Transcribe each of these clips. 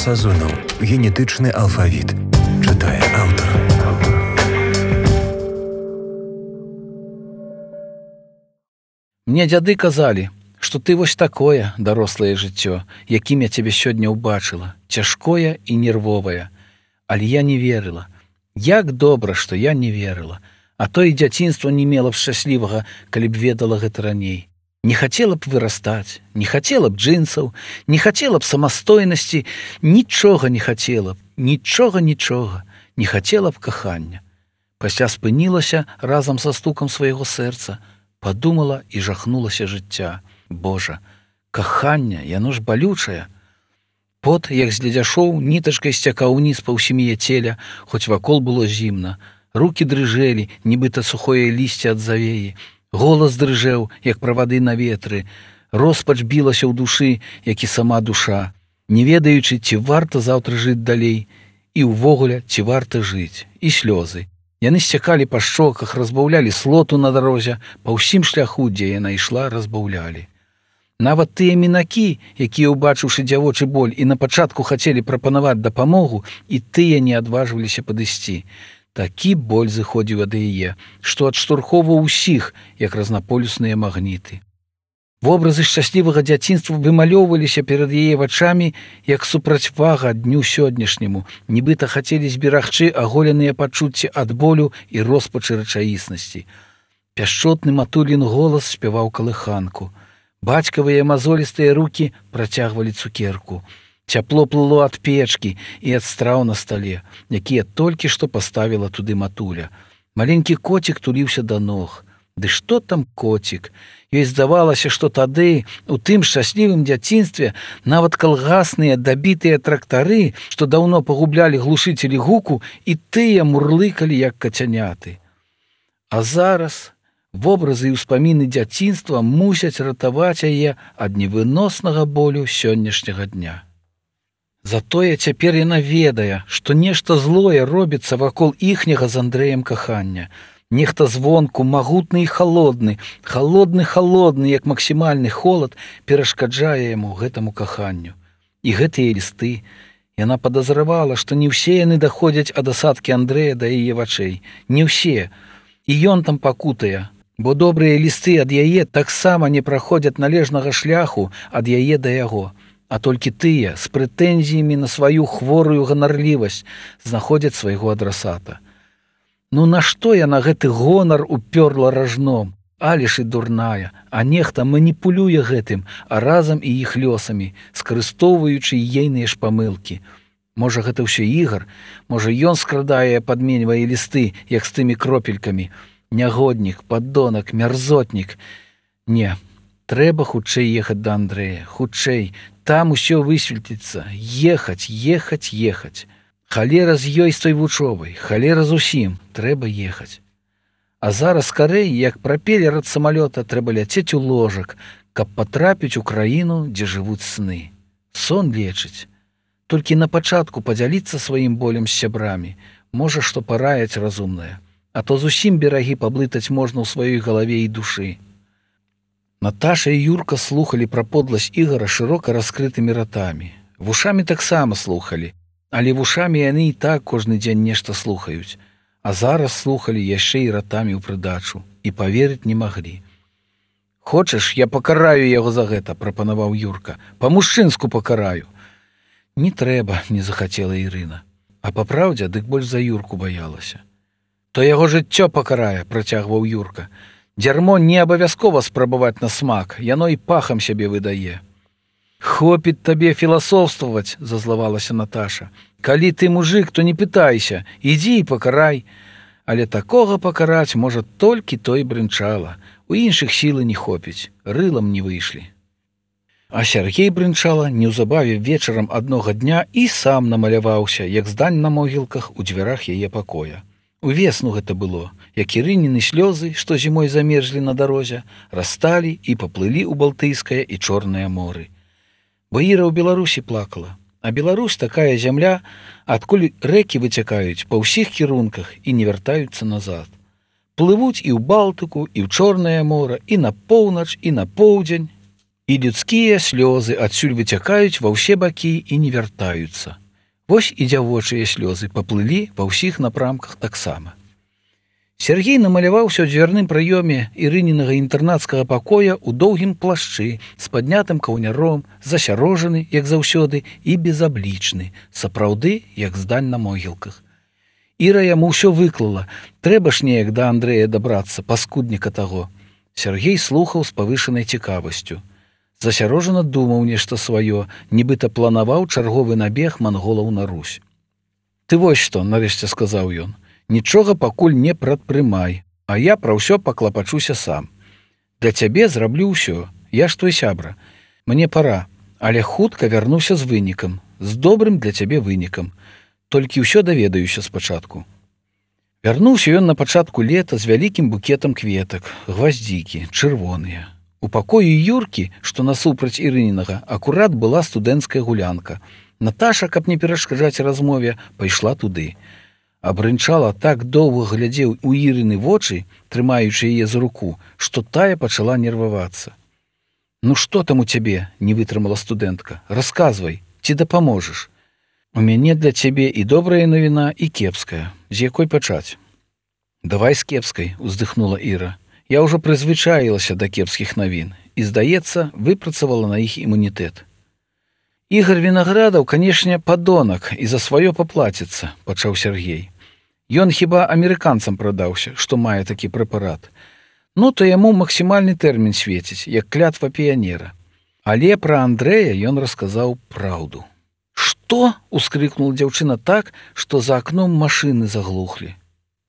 Сазонаў. Генетычны алфавіт. Чытае аўтар. Мне дзяды казалі, што ты вось такое дарослае жыццё, якім я цябе сёння ўбачыла, цяжкое і нервовае. Але я не верыла. Як добра, што я не верыла. А то і дзяцінства не мела б шчаслівага, калі б ведала гэта раней. Не хацела б вырастаць, не хацела б джинсаў, не хацела б самастойнасці, нічога не хацела б, нічога, не хацела б кахання. Пасля спынілася разам са стукам свайго сэрца, падумала і жахнулася жыцця. Божа, каханне, яно ж балючае. Пот, як з ледзяшоў, нітачкай сцякаў уніз па ўсім яе целя, хоць вакол было зімна. Рукі дрыжэлі, нібыта сухое лісце ад завеі. Голас дрыжэў, як правады на ветры. Роспач білася ў душы, як і сама душа, не ведаючы, ці варта заўтра жыць далей, і ўвогуле, ці варта жыць. І слёзы. Яны сцякалі па шчоках, разбаўлялі слоту на дарозе, па ўсім шляху, дзе яна ішла, разбаўлялі. Нават тыя мінакі, якія, убачыўшы дзявочы боль, і на пачатку хацелі прапанаваць дапамогу, і тыя не адважваліся падысці. Такі боль зыходзіў ад яе, што адштурхоўваў усіх, як разнаполюсныя магніты. Вобразы шчаслівага дзяцінства вымалёўваліся перад яе вачамі, як супрацьвага дню сённяшняму, нібыта хацелі зберагчы аголеныя пачуцці ад болю і роспачы рэчаіснасці. Пяшчотны матулін голас спяваў калыханку. Бацькавыя мазолістыя рукі працягвалі цукерку. Цяпло плыло ад печкі і ад страў на стале, якія толькі што паставіла туды матуля. Маленькі коцік туліўся да ног. Ды што там коцік? Ёй здавалася, што тады, у тым шчаслівым дзяцінстве, нават калгасныя дабітыя трактары, што даўно пагублялі глушыцелі гуку, і тыя мурлыкалі, як кацяняты. А зараз вобразы і ўспаміны дзяцінства мусяць ратаваць яе ад невыноснага болю сённяшняга дня. Затое цяпер яна ведае, што нешта злое робіцца вакол іхняга з Андрэем кахання. Нехта звонку, магутны і халодны, як максімальны холад, перашкаджае яму гэтаму каханню. І гэтыя лісты. Яна падазравала, што не ўсе яны даходзяць ад асадкі Андрэя да яе вачэй. Не ўсе. І ён там пакутае, бо добрыя лісты ад яе таксама не праходзяць належнага шляху ад яе да яго. А толькі тыя, з прэтэнзіямі на сваю хворую ганарлівасць, знаходзяць свайго адрасата. Ну нашто яна гэты гонар упёрла ражном? Але ж і дурная, а нехта маніпулюе гэтым, а разам і іх лёсамі, скарыстоўваючы ейныя ж памылкі. Можа, гэта ўсё ігар? Можа, ён скрадае, падменьвае лісты, як з тымі кропелькамі. Нягоднік, паддонак, мярзотнік. Не, трэба хутчэй ехаць да Андрэя, хутчэй. Там усё высветліцца. Ехаць. Халера з ёй з той вучобай, халера з усім. Трэба ехаць. А зараз скарэй, як прапелер ад самалёта, трэба ляцець у ложак, каб патрапіць у краіну, дзе жывуць сны. Сон лечыць. Толькі на пачатку падзяліцца сваім болем з сябрамі. Можа, што параяць разумнае. А то зусім берагі паблытаць можна ў сваёй галаве і душы. Наташа і Юрка слухалі пра подласць ігара шырока раскрытымі ратамі. Вушамі таксама слухалі, але вушамі яны і так кожны дзень нешта слухаюць. А зараз слухалі яшчэ і ратамі ў прыдачу, і паверыць не маглі. «Хочаш, я пакараю яго за гэта», – прапанаваў Юрка. «Па-мужчынску пакараю». «Не трэба», – не захацела Ірына. А папраўдзе, дык больш за Юрку баялася. «То яго жыццё пакарае», – працягваў Юрка. «Дзярмо не абавязкова спрабаваць на смак, яно і пахам сябе выдае». «Хопіць табе філасофстваваць», – зазлавалася Наташа. «Калі ты мужык, то не пытайся, ідзі і пакарай». Але такога пакараць можа толькі той брынчала. У іншых сілы не хопіць, рылам не выйшлі. А Сяргей брынчала неўзабаве вечарам аднога дня і сам намаляваўся, як здань на могілках у дзвярах яе пакоя. Увесну гэта было, як Ірыніны слёзы, што зімой замерзлі на дарозе, расталі і паплылі ў Балтыйскае і Чорнае моры. Бо Іра ў Беларусі плакала, а Беларусь такая зямля, адкуль рэкі выцякаюць па ўсіх кірунках і не вяртаюцца назад. Плывуць і ў Балтыку, і ў Чорнае мора, і на поўнач, і на поўдзень. І людскія слёзы адсюль выцякаюць ва ўсе бакі і не вяртаюцца. Вось і дзявочыя слёзы паплылі ва ўсіх напрамках таксама. Сергей намаляваўся ў дзвярным праёме Ірынінага інтэрнацкага пакоя ў доўгім плашчы з паднятым каўняром, засярожаны, як заўсёды, і безаблічны, сапраўды, як здань на могілках. Іра яму ўсё выклала, трэба ж неяк да Андрэя дабрацца, паскудніка таго. Сергей слухаў з павышанай цікавасцю. Засярожана думаў нешта сваё, нібыта планаваў чарговы набег манголаў на Русь. «Ты вось што», — нарэшце сказаў ён, — «нічога пакуль не прадпрымай, а я пра ўсё паклапачуся сам. Для цябе зраблю ўсё, я ж твой сябра. Мне пара, але хутка вярнуся з вынікам, з добрым для цябе вынікам. Толькі ўсё даведаюся спачатку». Вярнуўся ён на пачатку лета з вялікім букетам кветак, гваздзікі, чырвоныя. У пакоі Юркі, што насупраць Ірынінага, акурат была студэнцкая гулянка. Наташа, каб не перашкаджаць размове, пайшла туды. Абрынчала так доўга глядзеў у Ірыны вочы, трымаючы яе за руку, што тая пачала нервавацца. «Ну што там у цябе?» — не вытрымала студэнтка. «Расказвай, ці дапаможаш? У мяне для цябе і добрая навіна, і кепская. З якой пачаць?» «Давай з кепскай», — уздыхнула Іра. «Я ўжо прызвычаілася да кепскіх навін і, здаецца, выпрацавала на іх імунітэт». «Ігар Вінаградаў, канешне, падонак і за сваё паплаціцца», — пачаў Сергей. «Ён хіба амерыканцам прадаўся, што мае такі прэпарат. Ну, то яму максімальны тэрмін свеціць, як клятва піянера. Але пра Андрэя ён расказаў праўду». «Што?» — ускрыкнула дзяўчына так, што за акном машыны заглухлі.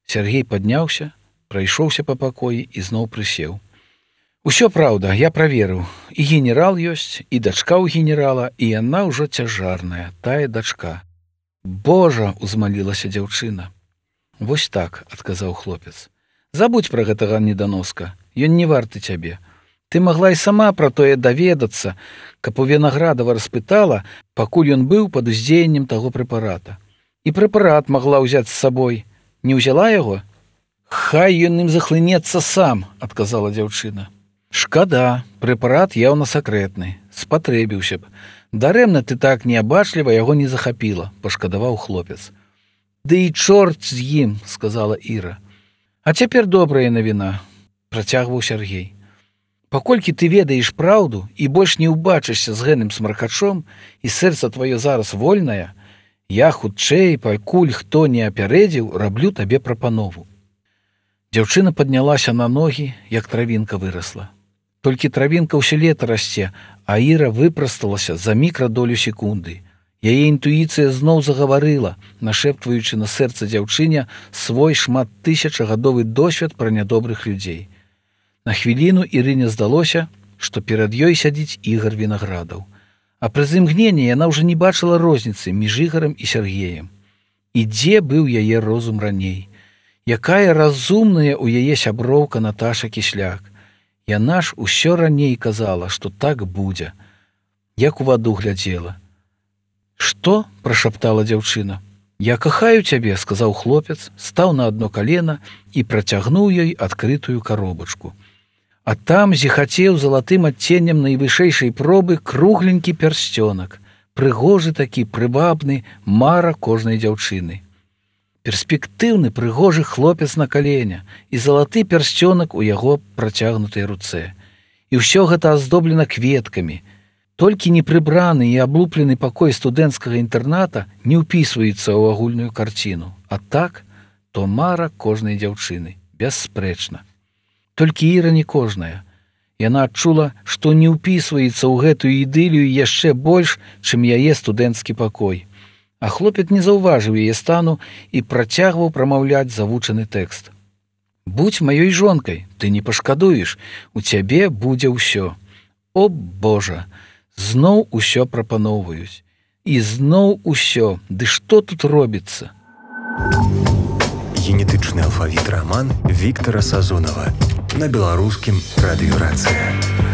Сергей падняўся, прайшоўся па пакоі і зноў прысеў. «Усё праўда, я праверыў. І генерал ёсць, і дачка ў генерала, і яна ўжо цяжарная, тая дачка». «Божа!» — узмалілася дзяўчына. «Вось так», — адказаў хлопец. «Забудзь пра гэтага неданоска, ён не варты цябе. Ты магла і сама пра тое даведацца, каб у Вінаградава распытала, пакуль ён быў пад уздзеяннем таго прэпарата. І прэпарат магла ўзяць з сабой. Не ўзяла яго?» «Хай ён ім захлынецца сам», — адказала дзяўчына. «Шкада, прэпарат яўна сакрэтны, спатрэбіўся б. Дарэмна ты так неабачліва яго не захапіла», — пашкадаваў хлопец. «Ды і чорт з ім», — сказала Іра. «А цяпер добрая навіна», — працягваў Сергей. «Паколькі ты ведаеш праўду і больш не ўбачышся з гэным смаркачом, і сэрца тваё зараз вольнае, я хутчэй, пакуль хто не апярэдзіў, раблю табе прапанову». Дзяўчына паднялася на ногі, як травінка вырасла. Толькі травінка ўсё лета расце, а Іра выпрасталася за мікрадолю секунды. Яе інтуіцыя зноў загаварыла, нашэптваючы на сэрца дзяўчыне свой шматтысячагадовы досвед пра нядобрых людзей. На хвіліну Ірыне здалося, што перад ёй сядзіць Ігар Вінаградаў. А праз імгненне яна ўжо не бачыла розніцы між Ігарам і Сергеем. І дзе быў яе розум раней? Якая разумная ў яе сяброўка Наташа Кісляк. Яна ж усё раней казала, што так будзе. Як у ваду глядзела. «Што?» — прашаптала дзяўчына. «Я кахаю цябе», — сказаў хлопец, стаў на адно калена і працягнуў ёй адкрытую каробачку. А там зіхацеў залатым адценнем найвышэйшай пробы кругленькі пярсцёнак, прыгожы такі, прывабны, мара кожнай дзяўчыны. Перспектыўны прыгожы хлопец на каленя і залаты пярсцёнак у яго працягнутай руцэ. І ўсё гэта аздоблена кветкамі. Толькі непрыбраны і аблуплены пакой студэнцкага інтэрната не ўпісваецца ў агульную карціну. А так, то мара кожнай дзяўчыны, бясспрэчна. Толькі Іра не кожная. Яна адчула, што не ўпісваецца ў гэтую ідылію яшчэ больш, чым яе студэнцкі пакой. А хлопец не заўважыў яе стану і працягваў прамаўляць завучаны тэкст. «Будзь маёй жонкай, ты не пашкадуеш, у цябе будзе ўсё. О, Божа, зноў усё прапаноўваюць. І зноў усё, ды што тут робіцца?» Генетычны алфавіт раман Віктара Сазонава на беларускім радыёрацыі.